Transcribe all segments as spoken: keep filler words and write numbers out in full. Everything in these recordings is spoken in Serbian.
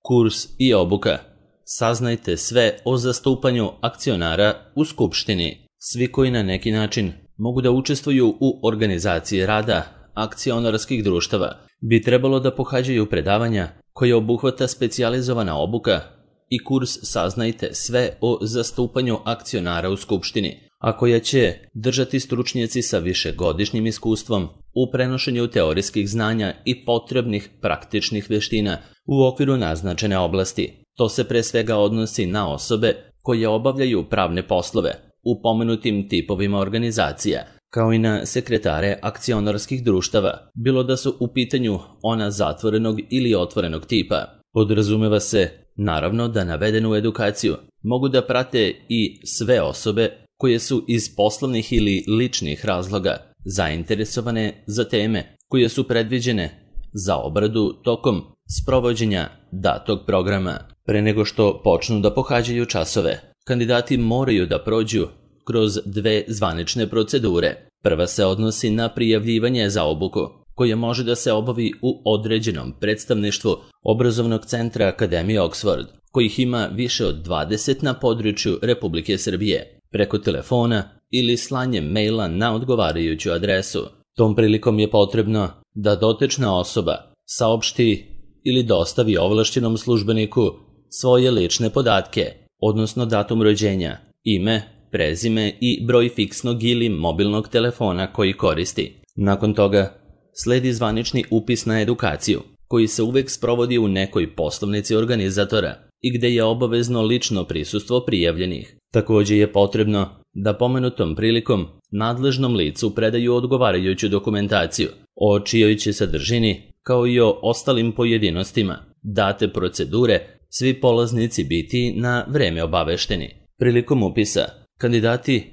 Kurs i obuka. Saznajte sve o zastupanju akcionara u skupštini. Svi koji na neki način mogu da učestvuju u organizaciji rada akcionarskih društava bi trebalo da pohađaju predavanja koje obuhvata specijalizovana obuka i kurs Saznajte sve o zastupanju akcionara u skupštini, a koja će držati stručnjaci sa višegodišnjim iskustvom u prenošenju teorijskih znanja i potrebnih praktičnih veština u okviru naznačene oblasti. To se pre svega odnosi na osobe koje obavljaju pravne poslove u pomenutim tipovima organizacija, kao i na sekretare akcionarskih društava, bilo da su u pitanju ona zatvorenog ili otvorenog tipa. Podrazumeva se, naravno, da navedenu edukaciju mogu da prate i sve osobe koje su iz poslovnih ili ličnih razloga zainteresovane za teme koje su predviđene za obradu tokom sprovođenja datog programa. Pre nego što počnu da pohađaju časove, kandidati moraju da prođu kroz dve zvanične procedure. Prva se odnosi na prijavljivanje za obuku, koje može da se obavi u određenom predstavništvu obrazovnog centra Akademije Oxford, kojih ima više od dvadeset na području Republike Srbije, preko telefona ili slanjem maila na odgovarajuću adresu. Tom prilikom je potrebno da dotična osoba saopšti ili dostavi ovlašćenom službeniku svoje lične podatke, odnosno datum rođenja, ime, prezime i broj fiksnog ili mobilnog telefona koji koristi. Nakon toga sledi zvanični upis na edukaciju, koji se uvek sprovodi u nekoj poslovnici organizatora i gde je obavezno lično prisustvo prijavljenih. Takođe je potrebno da pomenutom prilikom nadležnom licu predaju odgovarajuću dokumentaciju o čijoj će sadržini, kao i o ostalim pojedinostima date procedure, svi polaznici biti na vreme obavešteni. Prilikom upisa, kandidati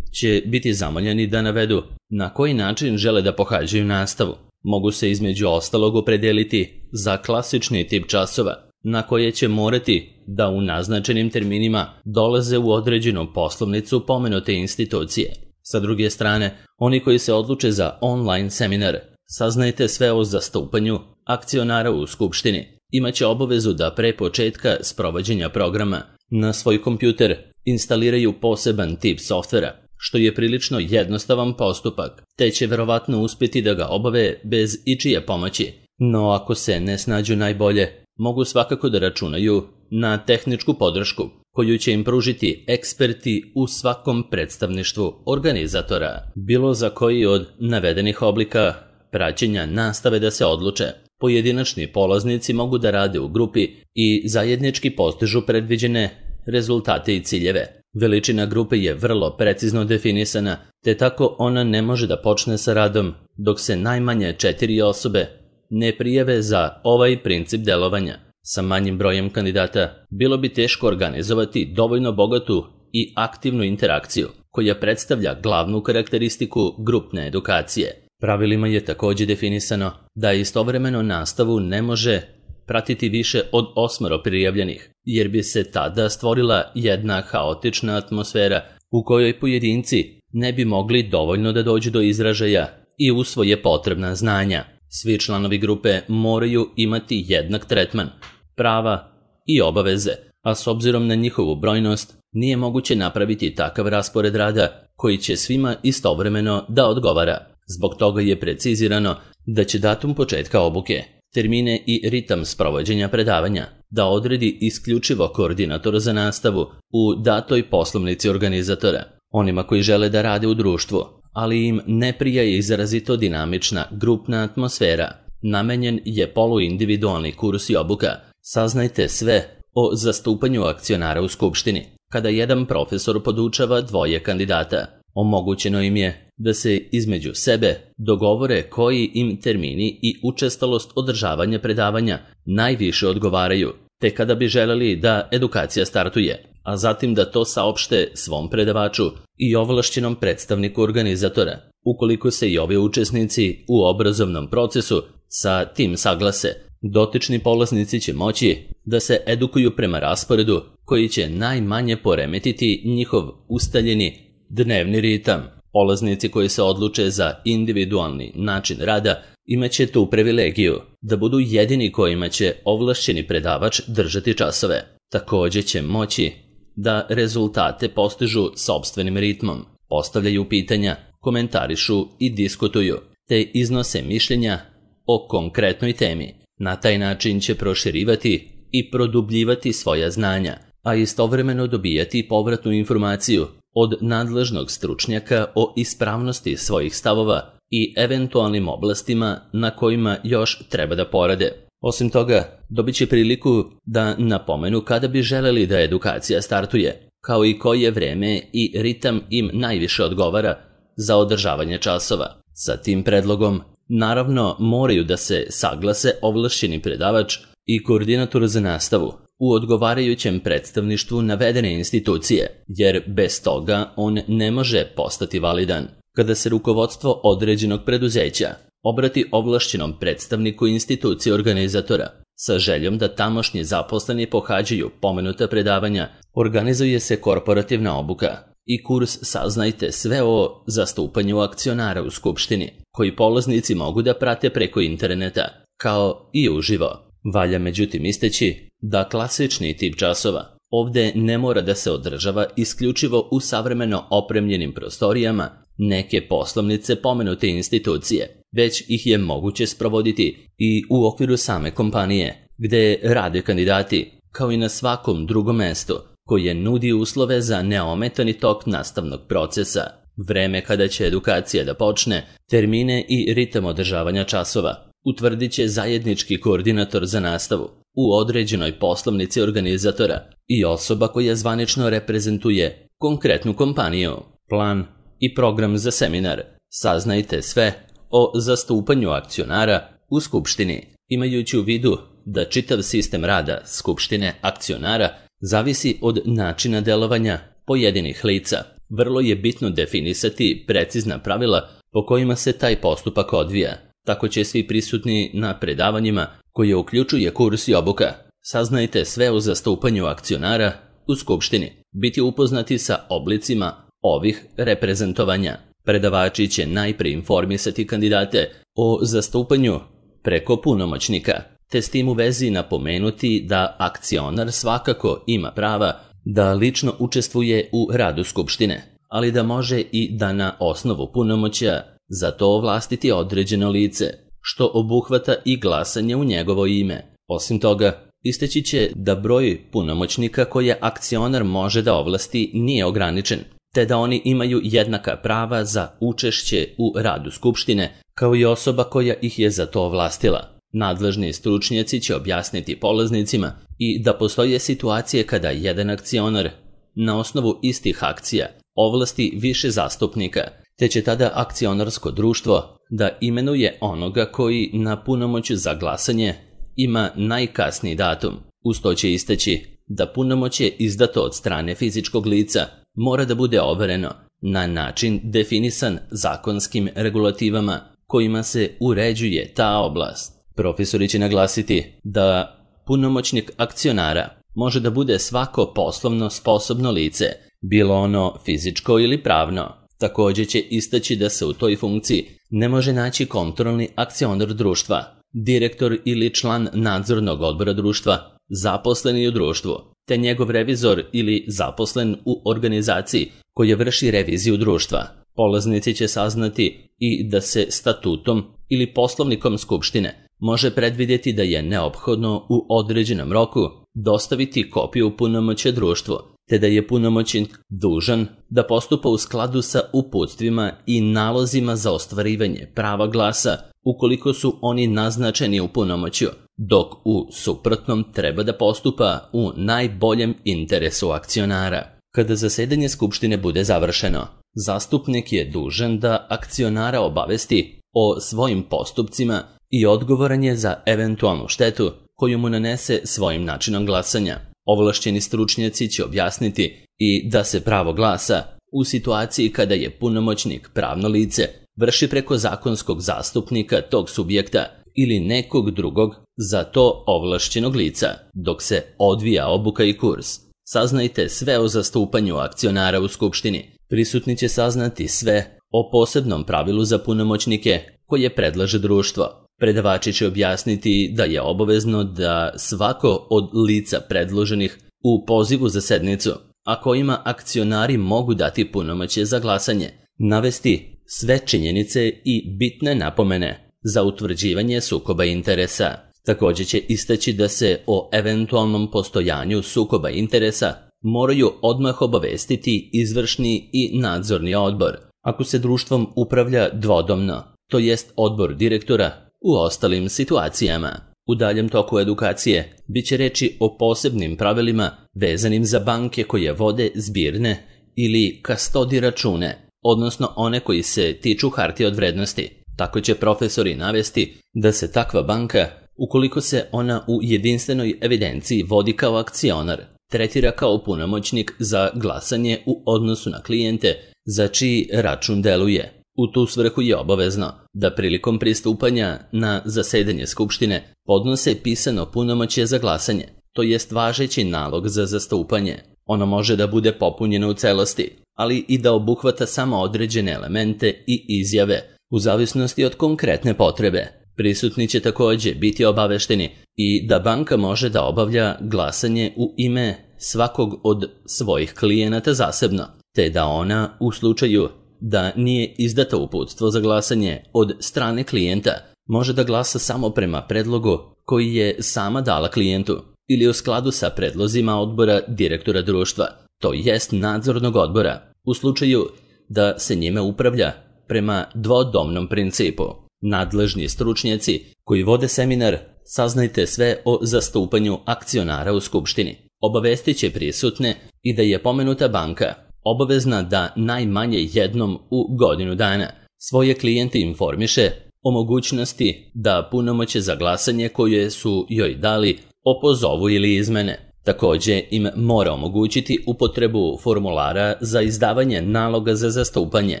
će biti zamoljeni da navedu na koji način žele da pohađaju nastavu. Mogu se između ostalog opredeliti za klasični tip časova, na koje će morati da u naznačenim terminima dolaze u određenu poslovnicu pomenute institucije. Sa druge strane, oni koji se odluče za online seminar Saznajte sve o zastupanju akcionara u skupštini imaće obavezu da pre početka sprovođenja programa na svoj kompjuter instaliraju poseban tip softvera, što je prilično jednostavan postupak, te će verovatno uspjeti da ga obave bez ičije pomoći. No ako se ne snađu najbolje, mogu svakako da računaju na tehničku podršku, koju će im pružiti eksperti u svakom predstavništvu organizatora. Bilo za koji od navedenih oblika praćenja nastave da se odluče, pojedinačni polaznici mogu da rade u grupi i zajednički postižu predviđene rezultate i ciljeve. Veličina grupe je vrlo precizno definisana, te tako ona ne može da počne sa radom dok se najmanje četiri osobe ne prijave za ovaj princip delovanja. Sa manjim brojem kandidata bilo bi teško organizovati dovoljno bogatu i aktivnu interakciju, koja predstavlja glavnu karakteristiku grupne edukacije. Pravilima je takođe definisano da istovremeno nastavu ne može pratiti više od osmoro prijavljenih, jer bi se tada stvorila jedna haotična atmosfera u kojoj pojedinci ne bi mogli dovoljno da dođu do izražaja i usvoje potrebna znanja. Svi članovi grupe moraju imati jednak tretman, prava i obaveze, a s obzirom na njihovu brojnost nije moguće napraviti takav raspored rada koji će svima istovremeno da odgovara. Zbog toga je precizirano da će datum početka obuke, termine i ritam sprovođenja predavanja da odredi isključivo koordinator za nastavu u datoj poslovnici organizatora. Onima koji žele da rade u društvu, ali im ne prija izrazito dinamična grupna atmosfera, namenjen je poluindividualni kurs i obuka. Saznajte sve o zastupanju akcionara u skupštini. Kada jedan profesor podučava dvoje kandidata, omogućeno im je da se između sebe dogovore koji im termini i učestalost održavanja predavanja najviše odgovaraju, te kada bi želeli da edukacija startuje, a zatim da to saopšte svom predavaču i ovlašćenom predstavniku organizatora. Ukoliko se i ovi učesnici u obrazovnom procesu sa tim saglase, dotični polaznici će moći da se edukuju prema rasporedu koji će najmanje poremetiti njihov ustaljeni dnevni ritam. Polaznici koji se odluče za individualni način rada imaće tu privilegiju da budu jedini kojima će ovlašćeni predavač držati časove. Također će moći da rezultate postižu sopstvenim ritmom, postavljaju pitanja, komentarišu i diskutuju, te iznose mišljenja o konkretnoj temi. Na taj način će proširivati i produbljivati svoja znanja, a istovremeno dobijati povratnu informaciju od nadležnog stručnjaka o ispravnosti svojih stavova i eventualnim oblastima na kojima još treba da porade. Osim toga, dobit će priliku da napomenu kada bi želeli da edukacija startuje, kao i koje vreme i ritam im najviše odgovara za održavanje časova. Sa tim predlogom, naravno, moraju da se saglase ovlašćeni predavač i koordinator za nastavu u odgovarajućem predstavništvu navedene institucije, jer bez toga on ne može postati validan. Kada se rukovodstvo određenog preduzeća obrati ovlašćenom predstavniku institucije organizatora sa željom da tamošnji zaposleni pohađaju pomenuta predavanja, organizuje se korporativna obuka i kurs Saznajte sve o zastupanju akcionara u skupštini, koji polaznici mogu da prate preko interneta, kao i uživo. Valja međutim isteći da klasični tip časova ovde ne mora da se održava isključivo u savremeno opremljenim prostorijama neke poslovnice pomenute institucije, već ih je moguće sprovoditi i u okviru same kompanije, gde rade kandidati, kao i na svakom drugom mestu koje nudi uslove za neometani tok nastavnog procesa, vreme kada će edukacija da počne, termine i ritam održavanja časova utvrdit će zajednički koordinator za nastavu u određenoj poslovnici organizatora i osoba koja zvanično reprezentuje konkretnu kompaniju. Plan i program za seminar Saznajte sve o zastupanju akcionara u skupštini, imajući u vidu da čitav sistem rada skupštine akcionara zavisi od načina delovanja pojedinih lica. Vrlo je bitno definisati precizna pravila po kojima se taj postupak odvija. Tako će svi prisutni na predavanjima, koje uključuje kurs i obuka Saznajte sve o zastupanju akcionara u skupštini, biti upoznati sa oblicima ovih reprezentovanja. Predavači će najprije informisati kandidate o zastupanju preko punomoćnika, te s tim u vezi napomenuti da akcionar svakako ima prava da lično učestvuje u radu skupštine, ali da može i da na osnovu punomoćja za to ovlastiti određeno lice, što obuhvata i glasanje u njegovo ime. Osim toga, isteći će da broj punomoćnika koje akcionar može da ovlasti nije ograničen, te da oni imaju jednaka prava za učešće u radu skupštine, kao i osoba koja ih je za to ovlastila. Nadležni stručnjaci će objasniti polaznicima i da postoje situacije kada jedan akcionar na osnovu istih akcija ovlasti više zastupnika, te će tada akcionarsko društvo da imenuje onoga koji na punomoću za glasanje ima najkasniji datum. Uz to će isteći da punomoćje izdato od strane fizičkog lica mora da bude overeno na način definisan zakonskim regulativama kojima se uređuje ta oblast. Profesori će naglasiti da punomoćnik akcionara može da bude svako poslovno sposobno lice, bilo ono fizičko ili pravno. Također će istaći da se u toj funkciji ne može naći kontrolni akcionar društva, direktor ili član nadzornog odbora društva, zaposleni u društvu, te njegov revizor ili zaposlen u organizaciji koja vrši reviziju društva. Polaznici će saznati i da se statutom ili poslovnikom skupštine može predvidjeti da je neophodno u određenom roku dostaviti kopiju punomoćja društvu, te da je punomoćnik dužan da postupa u skladu sa uputstvima i nalozima za ostvarivanje prava glasa ukoliko su oni naznačeni u punomoćju, dok u suprotnom treba da postupa u najboljem interesu akcionara. Kada zasedanje skupštine bude završeno, zastupnik je dužan da akcionara obavesti o svojim postupcima i odgovoran je za eventualnu štetu koju mu nanese svojim načinom glasanja. Ovlašćeni stručnjaci će objasniti i da se pravo glasa u situaciji kada je punomoćnik pravno lice vrši preko zakonskog zastupnika tog subjekta ili nekog drugog za to ovlašćenog lica, dok se odvija obuka i kurs. Saznajte sve o zastupanju akcionara u skupštini. Prisutni će saznati sve o posebnom pravilu za punomoćnike koje predlaže društvo. Predavači će objasniti da je obavezno da svako od lica predloženih u pozivu za sednicu, a kojima akcionari mogu dati punomoćje za glasanje, navesti sve činjenice i bitne napomene za utvrđivanje sukoba interesa. Također će istaći da se o eventualnom postojanju sukoba interesa moraju odmah obavestiti izvršni i nadzorni odbor, ako se društvom upravlja dvodomno, to jest odbor direktora u ostalim situacijama. U daljem toku edukacije bit će reći o posebnim pravilima vezanim za banke koje vode zbirne ili kastodi račune, odnosno one koji se tiču hartije od vrednosti. Tako će profesori navesti da se takva banka, ukoliko se ona u jedinstvenoj evidenciji vodi kao akcionar, tretira kao punomoćnik za glasanje u odnosu na klijente za čiji račun deluje. U tu svrhu je obavezno da prilikom pristupanja na zasedanje skupštine podnose pisano punomoćje za glasanje, to jest važeći nalog za zastupanje. Ono može da bude popunjeno u celosti, ali i da obuhvata samo određene elemente i izjave, u zavisnosti od konkretne potrebe. Prisutni će također biti obavešteni i da banka može da obavlja glasanje u ime svakog od svojih klijenata zasebno, te da ona u slučaju da nije izdato uputstvo za glasanje od strane klijenta, može da glasa samo prema predlogu koji je sama dala klijentu ili u skladu sa predlozima odbora direktora društva, to jest nadzornog odbora, u slučaju da se njime upravlja prema dvodomnom principu. Nadležni stručnjaci koji vode seminar Saznajte sve o zastupanju akcionara u skupštini obavestit će prisutne i da je pomenuta banka obavezna da najmanje jednom u godinu dana svoje klijente informiše o mogućnosti da punomoćje za glasanje koje su joj dali opozovu ili izmene. Također im mora omogućiti upotrebu formulara za izdavanje naloga za zastupanje,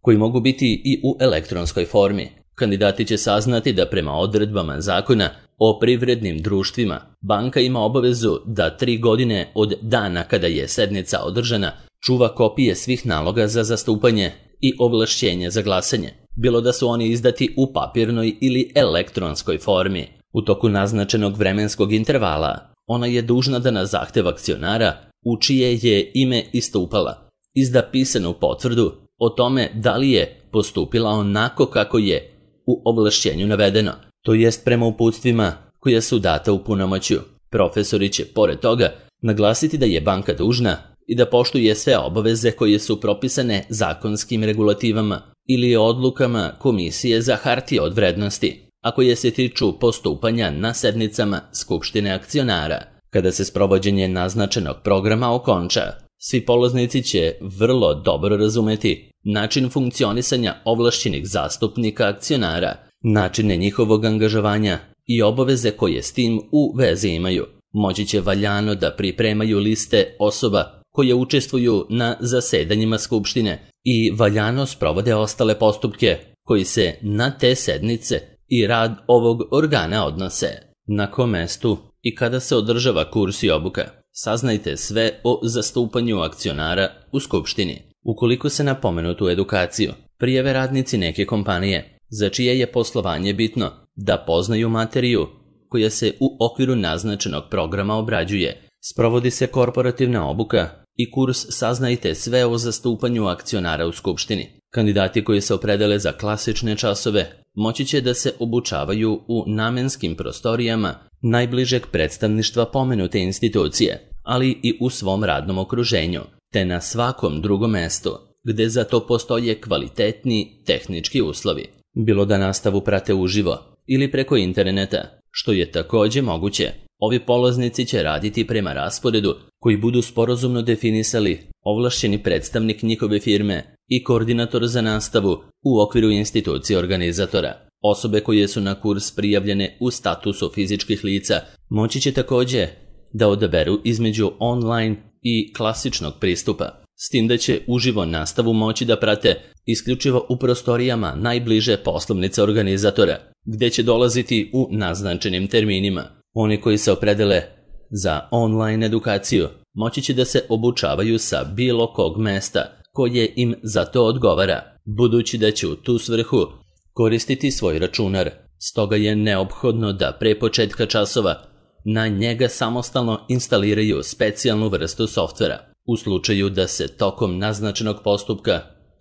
koji mogu biti i u elektronskoj formi. Kandidati će saznati da prema odredbama zakona o privrednim društvima banka ima obavezu da tri godine od dana kada je sednica održana čuva kopije svih naloga za zastupanje i ovlašćenja za glasanje, bilo da su oni izdati u papirnoj ili elektronskoj formi. U toku naznačenog vremenskog intervala ona je dužna da na zahtev akcionara, u čije je ime istupala, izda pisanu potvrdu o tome da li je postupila onako kako je u ovlašćenju navedeno, to jest prema uputstvima koja su data u punomoćju. Profesori će pored toga naglasiti da je banka dužna i da poštuje sve obaveze koje su propisane zakonskim regulativama ili odlukama Komisije za hartije od vrednosti, a koje se tiču postupanja na sednicama Skupštine akcionara. Kada se sprovođenje naznačenog programa okonča, svi polaznici će vrlo dobro razumeti način funkcionisanja ovlašćenih zastupnika akcionara, načine njihovog angažovanja i obaveze koje s tim u vezi imaju. Moći će valjano da pripremaju liste osoba koje učestvuju na zasedanjima skupštine i valjano sprovode ostale postupke koji se na te sednice i rad ovog organa odnose. Na kom mestu i kada se održava kurs i obuka, saznajte sve o zastupanju akcionara u skupštini. Ukoliko se na pomenutu edukaciju prijave radnici neke kompanije, za čije je poslovanje bitno da poznaju materiju koja se u okviru naznačenog programa obrađuje, sprovodi se korporativna obuka i kurs Saznajte sve o zastupanju akcionara u skupštini. Kandidati koji se opredele za klasične časove moći će da se obučavaju u namenskim prostorijama najbližeg predstavništva pomenute institucije, ali i u svom radnom okruženju, te na svakom drugom mestu gde za to postoje kvalitetni tehnički uslovi, bilo da nastavu prate uživo ili preko interneta, što je također moguće. Ovi polaznici će raditi prema rasporedu koji budu sporazumno definisali ovlašćeni predstavnik njihove firme i koordinator za nastavu u okviru institucije organizatora. Osobe koje su na kurs prijavljene u statusu fizičkih lica moći će također da odaberu između online i klasičnog pristupa, s tim da će uživo nastavu moći da prate isključivo u prostorijama najbliže poslovnice organizatora, gde će dolaziti u naznačenim terminima. Oni koji se opredele za online edukaciju moći će da se obučavaju sa bilo kog mesta koje im za to odgovara, budući da će u tu svrhu koristiti svoj računar, stoga je neophodno da pre početka časova na njega samostalno instaliraju specijalnu vrstu softvera. U slučaju da se tokom naznačenog postupka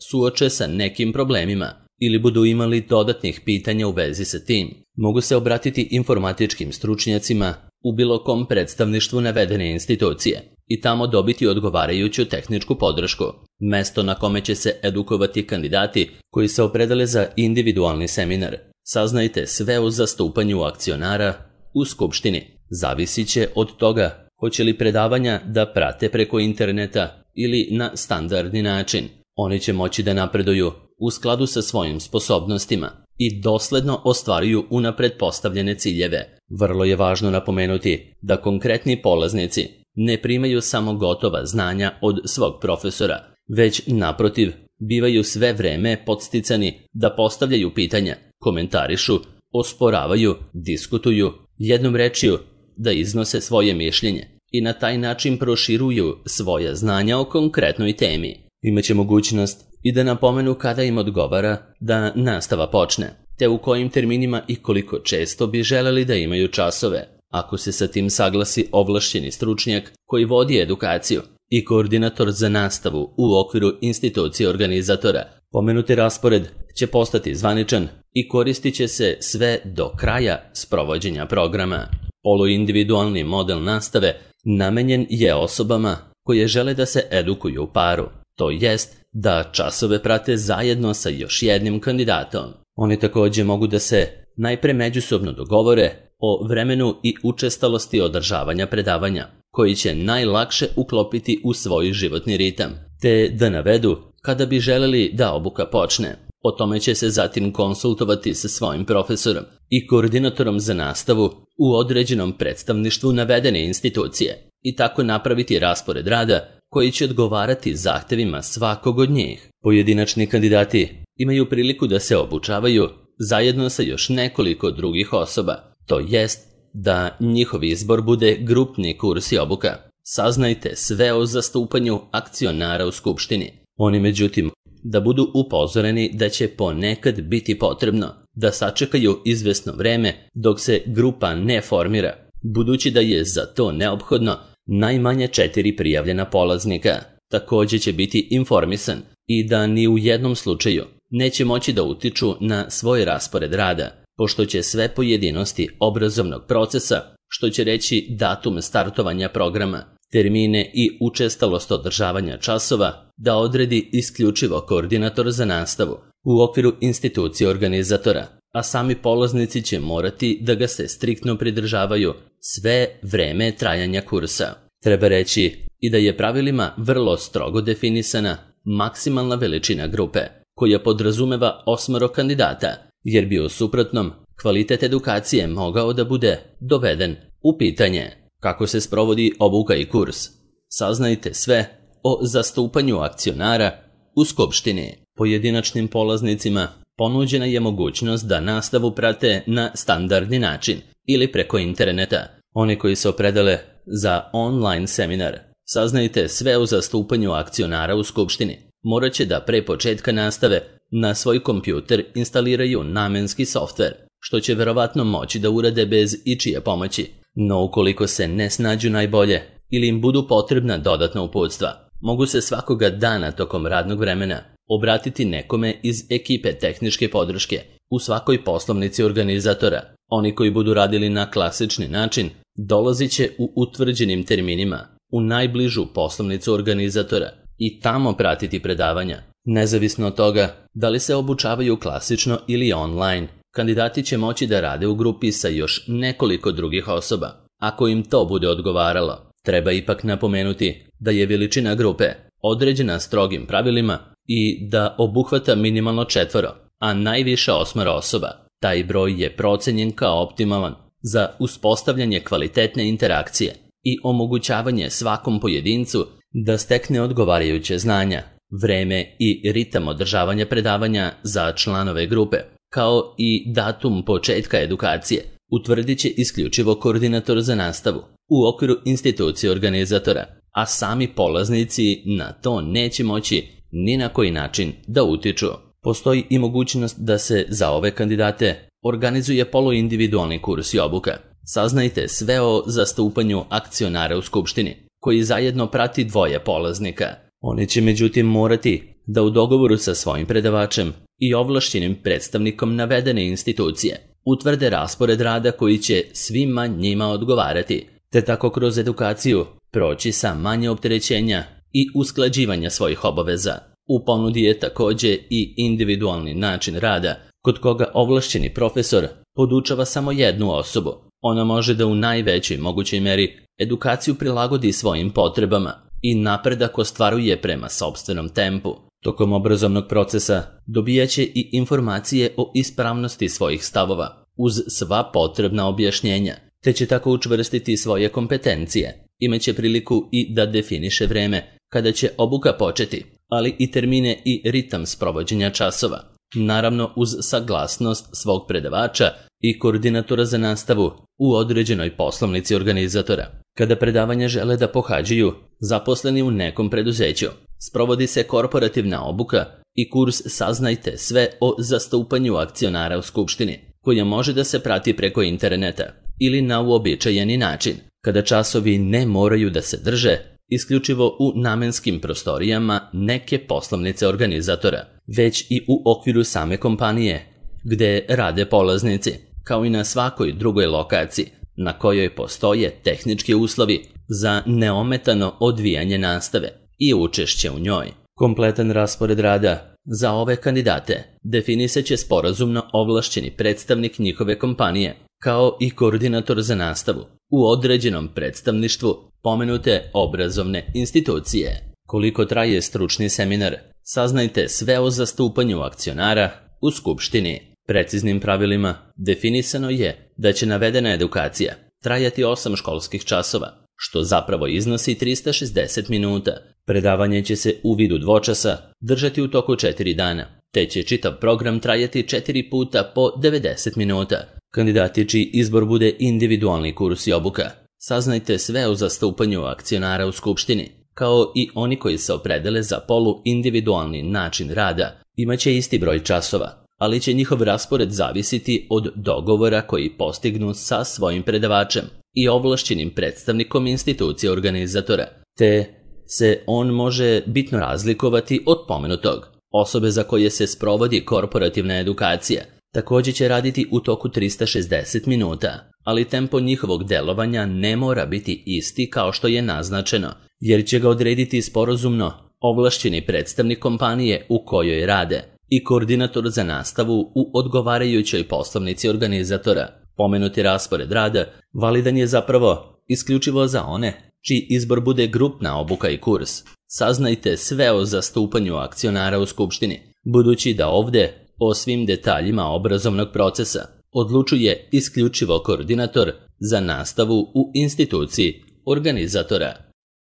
suoče sa nekim problemima ili budu imali dodatnih pitanja u vezi sa tim, mogu se obratiti informatičkim stručnjacima u bilo kom predstavništvu navedene institucije i tamo dobiti odgovarajuću tehničku podršku. Mesto na kome će se edukovati kandidati koji se opredele za individualni seminar. Saznajte sve o zastupanju akcionara u skupštini. Zavisit će od toga hoće li predavanja da prate preko interneta ili na standardni način. Oni će moći da napreduju u skladu sa svojim sposobnostima i dosledno ostvaruju unapred postavljene ciljeve. Vrlo je važno napomenuti da konkretni polaznici ne primaju samo gotova znanja od svog profesora, već naprotiv bivaju sve vreme podsticani da postavljaju pitanja, komentarišu, osporavaju, diskutuju, jednom rečju da iznose svoje mišljenje i na taj način proširuju svoja znanja o konkretnoj temi. Imaće mogućnost i da napomenu kada im odgovara da nastava počne, te u kojim terminima i koliko često bi želeli da imaju časove. Ako se sa tim saglasi ovlašćeni stručnjak koji vodi edukaciju i koordinator za nastavu u okviru institucije organizatora, pomenuti raspored će postati zvaničan i koristit će se sve do kraja sprovođenja programa. Poluindividualni model nastave namenjen je osobama koje žele da se edukuju u paru, to jest da časove prate zajedno sa još jednim kandidatom. Oni također mogu da se najpre međusobno dogovore o vremenu i učestalosti održavanja predavanja, koji će najlakše uklopiti u svoj životni ritam, te da navedu kada bi želeli da obuka počne. O tome će se zatim konsultovati sa svojim profesorom i koordinatorom za nastavu u određenom predstavništvu navedene institucije i tako napraviti raspored rada koji će odgovarati zahtevima svakog od njih. Pojedinačni kandidati imaju priliku da se obučavaju zajedno sa još nekoliko drugih osoba, to jest da njihov izbor bude grupni kurs i obuka. Saznajte sve o zastupanju akcionara u skupštini. Oni međutim da budu upozoreni da će ponekad biti potrebno da sačekaju izvesno vreme dok se grupa ne formira, budući da je za to neophodno najmanje četiri prijavljena polaznika. Također će biti informisan i da ni u jednom slučaju neće moći da utiču na svoj raspored rada, pošto će sve pojedinosti obrazovnog procesa, što će reći datum startovanja programa, termine i učestalost održavanja časova, da odredi isključivo koordinator za nastavu u okviru institucije organizatora, a sami polaznici će morati da ga se striktno pridržavaju sve vreme trajanja kursa. Treba reći i da je pravilima vrlo strogo definisana maksimalna veličina grupe, koja podrazumeva osmoro kandidata, jer bi u suprotnom kvalitet edukacije mogao da bude doveden u pitanje. Kako se sprovodi obuka i kurs? Saznajte sve o zastupanju akcionara u skupštini. Pojedinačnim polaznicima ponuđena je mogućnost da nastavu prate na standardni način ili preko interneta. Oni koji se opredele za online seminar, saznajte sve o zastupanju akcionara u skupštini. Morat će da pre početka nastave na svoj kompjuter instaliraju namenski softver, što će verovatno moći da urade bez ičije pomoći. No ukoliko se ne snađu najbolje ili im budu potrebna dodatna uputstva, mogu se svakoga dana tokom radnog vremena obratiti nekome iz ekipe tehničke podrške u svakoj poslovnici organizatora. Oni koji budu radili na klasični način dolazit će u utvrđenim terminima u najbližu poslovnicu organizatora i tamo pratiti predavanja. Nezavisno od toga da li se obučavaju klasično ili online, kandidati će moći da rade u grupi sa još nekoliko drugih osoba, ako im to bude odgovaralo. Treba ipak napomenuti da je veličina grupe određena strogim pravilima i da obuhvata minimalno četvoro, a najviše osmoro osoba. Taj broj je procenjen kao optimalan za uspostavljanje kvalitetne interakcije i omogućavanje svakom pojedincu da stekne odgovarajuće znanja, vreme i ritam održavanja predavanja za članove grupe, kao i datum početka edukacije, utvrdit će isključivo koordinator za nastavu u okviru institucije organizatora, a sami polaznici na to neće moći ni na koji način da utiču. Postoji i mogućnost da se za ove kandidate organizuje poluindividualni kurs i obuka. Saznajte sve o zastupanju akcionara u skupštini, koji zajedno prati dvoje polaznika. Oni će međutim morati da u dogovoru sa svojim predavačem i ovlašćenim predstavnikom navedene institucije utvrde raspored rada koji će svima njima odgovarati, te tako kroz edukaciju proći sa manje opterećenja i usklađivanja svojih obaveza. U ponudi je također i individualni način rada, kod koga ovlašćeni profesor podučava samo jednu osobu. Ona može da u najvećoj mogućoj meri edukaciju prilagodi svojim potrebama i napredak ostvaruje prema sopstvenom tempu. Tokom obrazovnog procesa dobijaće i informacije o ispravnosti svojih stavova, uz sva potrebna objašnjenja, te će tako učvrstiti svoje kompetencije. Imaće priliku i da definiše vreme kada će obuka početi, ali i termine i ritam sprovođenja časova. Naravno uz saglasnost svog predavača i koordinatora za nastavu u određenoj poslovnici organizatora. Kada predavanja žele da pohađaju zaposleni u nekom preduzeću, sprovodi se korporativna obuka i kurs Saznajte sve o zastupanju akcionara u skupštini, koja može da se prati preko interneta ili na uobičajeni način, kada časovi ne moraju da se drže isključivo u namenskim prostorijama neke poslovnice organizatora, već i u okviru same kompanije, gde rade polaznici, kao i na svakoj drugoj lokaciji, na kojoj postoje tehnički uslovi za neometano odvijanje nastave i učešće u njoj. Kompletan raspored rada za ove kandidate definisat će sporazumno ovlašćeni predstavnik njihove kompanije, kao i koordinator za nastavu u određenom predstavništvu pomenute obrazovne institucije. Koliko traje stručni seminar? Saznajte sve o zastupanju akcionara u skupštini. Preciznim pravilima definisano je da će navedena edukacija trajati osam školskih časova, što zapravo iznosi trista šezdeset minuta. Predavanje će se u vidu dvočasa držati u toku četiri dana, te će čitav program trajati četiri puta po devedeset minuta. Kandidati čiji izbor bude individualni kurs i obuka, saznajte sve o zastupanju akcionara u skupštini, kao i oni koji se opredele za poluindividualni način rada, imaće isti broj časova, ali će njihov raspored zavisiti od dogovora koji postignu sa svojim predavačem i ovlašćenim predstavnikom institucije organizatora, te se on može bitno razlikovati od pomenutog. Osobe za koje se sprovodi korporativna edukacija također će raditi u toku trista šezdeset minuta, ali tempo njihovog delovanja ne mora biti isti kao što je naznačeno, jer će ga odrediti sporazumno ovlašćeni predstavnik kompanije u kojoj rade i koordinator za nastavu u odgovarajućoj poslovnici organizatora. Pomenuti raspored rada validan je zapravo isključivo za one čiji izbor bude grupna obuka i kurs. Saznajte sve o zastupanju akcionara u skupštini, budući da ovdje o svim detaljima obrazovnog procesa odlučuje isključivo koordinator za nastavu u instituciji organizatora.